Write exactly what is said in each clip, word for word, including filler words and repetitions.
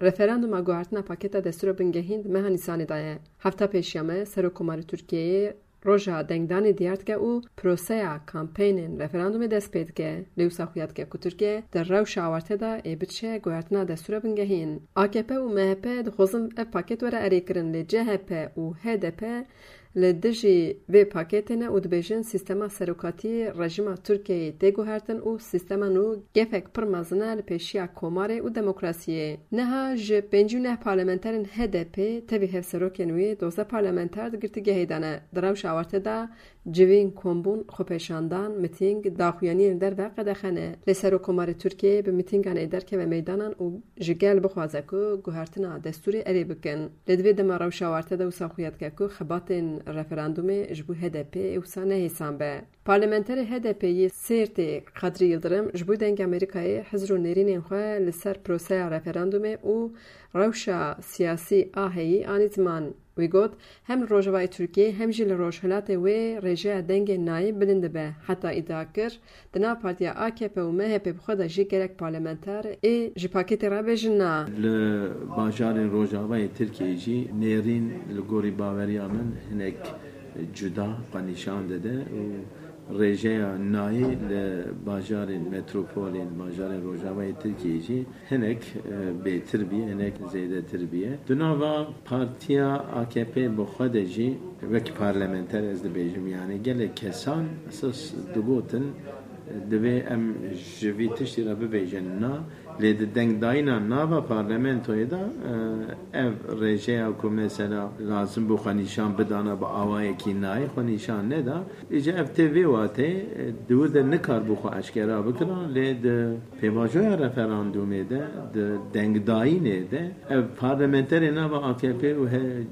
Referanduma guhertina paketa destûra bingehîn di meha Nîsanê de ye. Hefta pêşiya me Serokkomarê Tirkiyeyê roja dengdanê diyar dike û proseya kampeynên referandumê dest pê dike. Lê wisa xuya dike ku Tirkiye di rewşa awarte de ê biçe guhertina destûra bingehîn. A K P û M H P dixwazin ev paket were erêkirin, lê C H P û H D P li dijî vê paketê ne û dibêjin, sîstema serokatî rejîma Tirkiyeyê tê guhertin û sîstema nû gefek pir mezin e li pêşiya komarê û demokrasiyê. Niha ji pêncî û neh parlamenterên H D P tevî hevserokên wî, dozdeh parlamenter di girtîgehê de ne. Di rewşa awarte de civîn, kombûn, xwepêşandan, mitîng, daxuyaniyên li derve qedexe ne. Lê Serokkomarê Tirkiyeyê bi mitîngan ê derkeve meydanan û ji gel bixwaze ku guhertina destûrê erê bikin. Lê di vê dema rewşa awarte de wisa xuya dike ku xebatên referandumê ji bo H D P ê wisa nehêsan be. Parlamenterê H D P yê Sêrtê Kadrî Yildirim ji bo Dengê Amerîkayê hizr û nêrînên xwe li ser proseya referandumê û rewşa siyasî a heyî anî ziman. Wî got, hem li rojavayê Tirkiyeyê hem jî li rojhilatê wê rêjeya dengê nayê bilind dibe. Heta îdia kir, di nav partiya A K P û M H P bi xwe de jî gelek parlamenter ê ji paketê re bêjin na. Li bajarên rojavayê Tirkiyeyê jî nêrîn li gorî baweriya min hinek cuda xwe nîşan dide û rêjeya nayê li bajarên metropolên, bajarên rojavayê Tirkiyeyê jî hinek, e, bêtir bûye, hinek zêdetir bûye. Di nava partiya A K P bi xwe de jî wek parlamenter ez dibêjim, yani gelek kesan esas digotin, e, divê em ji vî tiştî re bibêjin na, lê di dengdayîna nava parlamentoyê de, e, ev rêjeya ku mesela lazim bû xwe nîşan bidana bi awayekî nayê xwe nîşan neda. Îca ev tê vê wateyê, e, di wir de nikarbû xwe eşkera bikira, lê di pêvajoya referandumê de, di dengdayînê de, ev parlamenterê nava A K P û he-,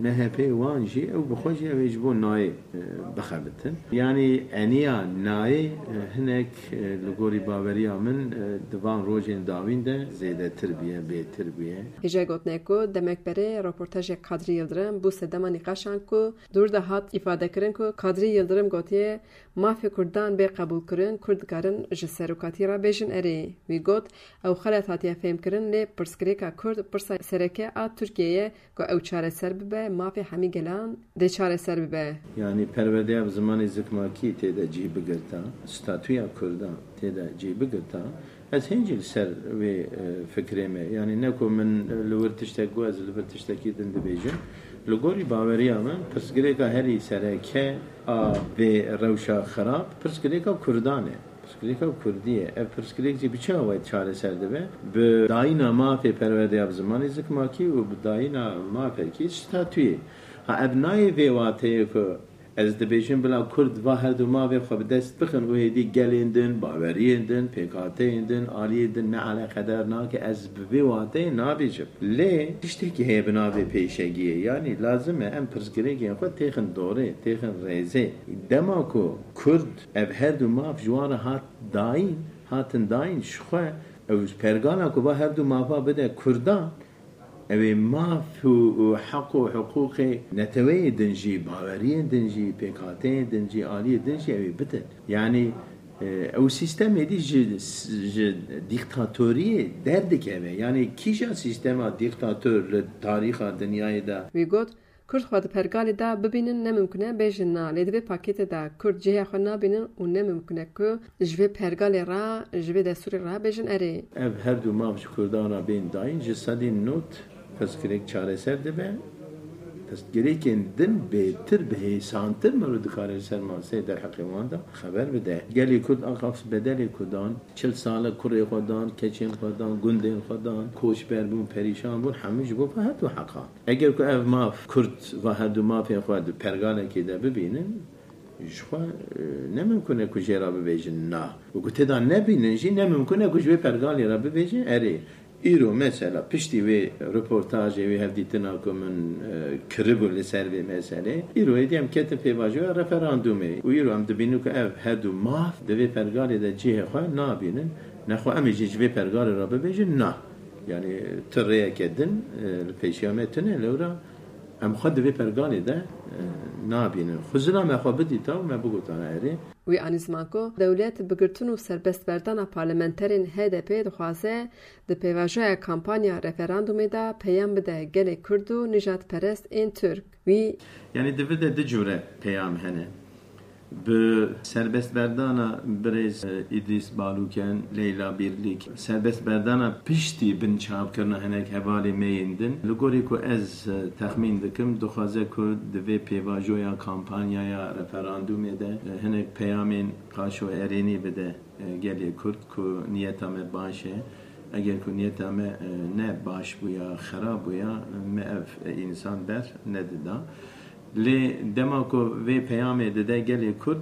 M H P wan jî, ew bi xwe jî ew ê ji bo nayê, e, bixebitin. Yanî eniya nayê, e, hinek, e, li gorî baweriya min, e, di van rojên dawîn de zêdetir bûye, bêtir bûye. Hêja gotinê ku demek berê reportajê Kadrî Yildirim bû sedema nîqaşan ku dûr de hat îfadekirin ku Kadrî Yildirim gotiye, mafê Kurdan bê qebûlkirin, Kurd dikarin ji serokatî re bêjin erê. Wî got, ew xelet hatiye fêhmkirin, lê pirsgirêka Kurd pirsa sereke a Tirkiyeyê ye ku ew çareser bibe, mafê hemî gelan dê çareser bibe. Yanî perwerdeya bi zimanê zikmakî tê de cih bigirta, statûya Kurdan tê de cih bigirta, ez hêncî li ser wê, e, fikrê me. Yanî ne ku min, e, li wir tiştek got, ez li vir tiştekî din dibêjim. Li gorî baweriya min, pirsgirêka herî sereke a vê rewşa xirab, pirsgirêka Kurdan e. Pirsgirêka Kurdî ye. Ev pirsgirêk jî bi çi awayî çareser dibe? Bi dayîna mafê perwerdeya bi zimanê zikmakî û bi dayîna mafekî statûyê. Ha, ev nayê vê wateyê ku ez dibêjim bila Kurd va her du mafê xwe bi dest bixin û hêdî gelên din, baweriyên din, pêkhateyên din, aliyên din ne eleqedar nake, ez bi vê wateyê nabêjim. Lê tiştekî heye bi navê pêşegiyê, yanî lazim e em pirsgirêkên xwe têxin dorê, têxin rêzê. Dema ku Kurd ev her du maf ji wan re hat dayîn, hatin dayîn, ji xwe ew pergala ku va her du mafa bide Kurdan, ew ê maf û, û heq û hiqûqê neteweyê din jî, baweriyên din jî, pêkhateyên din jî, aliyê din jî ew ê bidin. Yanî, e, ew sîstemê dî ji, ji dîktatoriyê derdikeve. Yanî kîja sîstema dîktator li tarîxa dinyayê de? Wî got, Kurd xwe di pergalê de bibînin ne mimkun e bêjin na, lê di vê pakêtê de Kurd cihê xwe nabînin û ne mimkun e ku ji vê pergalê re, ji vê destûrê re bêjin erê. Ev her du maf ji Kurdan re bên dayîn, ji sedî nod pirsgirêk çareser dibe. Pirsgirêkên din bêtir, bihêsantir mero dikare li ser maseyê derheqê wan de xeber bide. Gelê Kurd axafs bedelê ku dan, çil sal e kurê xwe dan, keçên xwe dan, gundên xwe dan, koçber bûn, perîşan bûn, hemû ji bo va her du heqan. Eger ku ev maf, Kurd va her du mafên xwe di pergalekê de bibînin, ji xwe, e, ne mimkun e ku jê re bibêjin na. Û ku tê de nebînin jî ne mimkun e ku ji wê pergalê re bibêjin erê. Îro mesela piştî wê reportajê, wê hevdîtina ku min, e, kiribû li ser vê meselê, îro êdî em ketin pêvajoya referandumê. Û îro em dibînin ku ev her du maf di vê pergalê de cihê xwe nabînin. Nexwe em ê jî ji vê pergalê re bibêjin na. Yanî tu rêyeke din, e, li pêşiya me tune, lewra Em xwe di vê pergalê de e, nabînin. Xizina me xwe bidîta û me bigotana erê. Wî anî ziman ku dewlet bi girtin û serbestberdana parlamenterên H D P dixwaze di pêvajoya kampanya referandumê de peyam bide gelê Kurd û nijadperest ên Tirk. Wî Yanî di vir de du cure peyam hene. Bi serbestberdana birêz, e, Îdrîs Balûken, Leyla Bîrlîk, serbestberdana piştî binçavkirina hinek hevalê me yên din, li gorî ku ez, e, texmîn dikim, dixwaze ku di vê pêvajoya kampanyaya referandûmê de, e, hinek peyamên qaşo erênî bide, e, gelê Kurd ku niyeta me baş e. Eger ku niyeta me, e, ne baş bûya, xerab bûya, me ev, e, însan ber nedida. Lê dema ku vê peyamê dide gelê Kurd,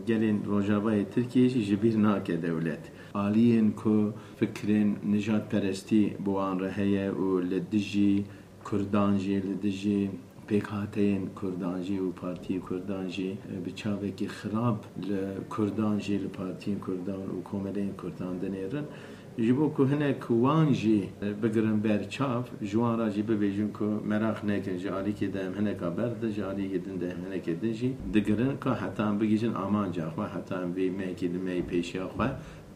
gelên Rojavayê Tirkiyê jî ji bîr nake dewlet. Aliyên ku fikrên nijadperestî bi wan re heye û li dijî Kurdan jî, li dijî pêkhateyên Kurdan jî û partiyên Kurdan jî, e, bi çavekî xirab li Kurdan jî, li partiyên Kurdan û komeleyên Kurdan dinêrin. Ji bo ku hinek wan jî bigirin ber çav, ji wan re jî bibêjin ku meraq nekin, ji alîkê de em hineka ber di, ji alîkê din de em hinekê din jî digirin, ka heta em bigihîjin amanca xwe, heta em vê mehekî di mehê pêşiya xwe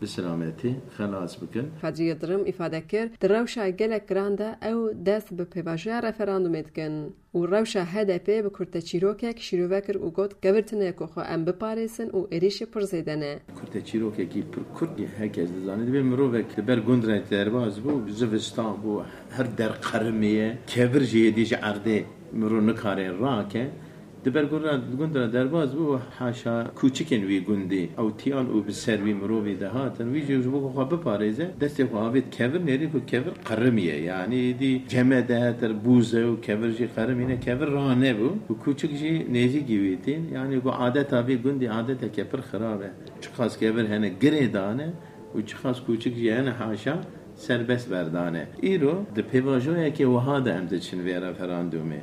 bi selametî xelas bikin. Kadri Yildirim îfade kir, di rewşa gelek giran de ew dest bi pêvajoya referandumê dikin. Û rewşa H D P bi kurteçîrokek şîrove kir û got, kevir tune ku xwe em biparêzin û êrîşê pir zêde ne. Kurteçîrokekî pir kurt, her kes dizane, dibê mirovek li ber gund re derbas bû, zivistan bû, her der qerimiye, kevir jî êdî ji erdê mirov nikare rake. Di ber gund re, gund re derbas bû, haşa kûçikên wî gundî ewtiyal û bi ser wî mirovî dihatin. Wî jî ji bo ku xwe biparêze, destê xwe avêt kevir, nêrî ku kevir qerimiye. Yanî êdî cemede, ter bûze û kevir jî qerimîne, kevir ranebû. Û kûçik jî nêzîkî wî tîn. Yanî ku adeta vî gundî adeteke pir xirab e. Çiqas kevir hene girê dane û çiqas kûçik jî hene haşa serbest berdane. Îro di pêvajoyeke wiha de em diçin vê referandumê.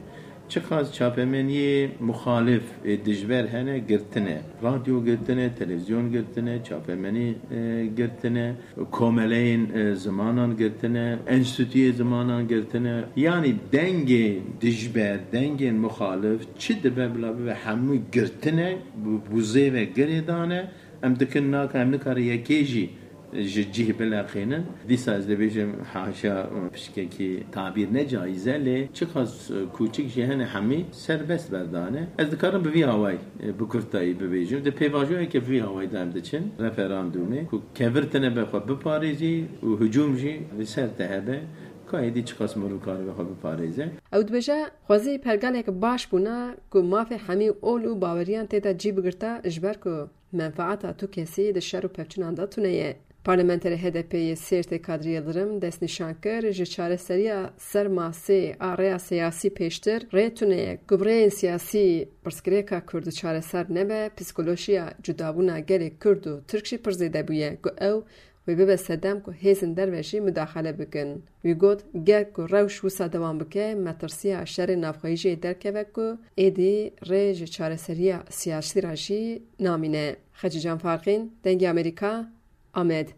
Çiqas çapemeniyê muxalif, ê, dijber hene, girtine. Radyo girtine, televizyon girtine, çapemenî, e, girtine, komeleyên, e, zimanan girtine, enstituyê zimanan girtine. Yanî dengê dijber, dengên muxalif çi dibe bila bibe hemû girtine, bi, bi zêve girê dane. Em dikin naka, em nikare yekê jî ji cih bileqînin. Dîsa ez dibêjim, haşa pişkekî tabîr ne caiz e, lê çiqas, e, kûçik jî hene hemî serbest berdane. Ez dikarim bi vî awayî, e, bi kurtayî bibêjim. Di pêvajoyeke bi vî awayî de em diçin referandumê, ku kevir tine be xwe biparêzî û hicûm jî li ser te hebe, ka êdî çiqas mirov karibe xwe biparêze. Ew dibêje, xwezî pergalek baş bûna ku mafê hemî ol û baweriyan tê de cî bigirta, ji ber ku menfaata tu kesî di şer û pevçûnan de tune ye. Parlamenterê H D P yê Sêrtê Kadri Yildirim destnîşan kir, ji çareseriya ser masê a rêya siyasî pêştir rê tune ye. Ku bi rêyên siyasî pirsgirêka Kurd çareser nebe, psîkolojiya cudabûna gelê Kurd û Tirk jî pir zêde bûye, ku ew wê bibe sedem ku hêzên derve jî mudaxele bikin. Wî got, ger ku rewş wisa dewam bike, metirsiya şerê navxweyî jê derkeve ku êdî rê ji çareseriya siyasî re jî namîne. Xecîcan Farqîn, Dengê Amerîka, Amed.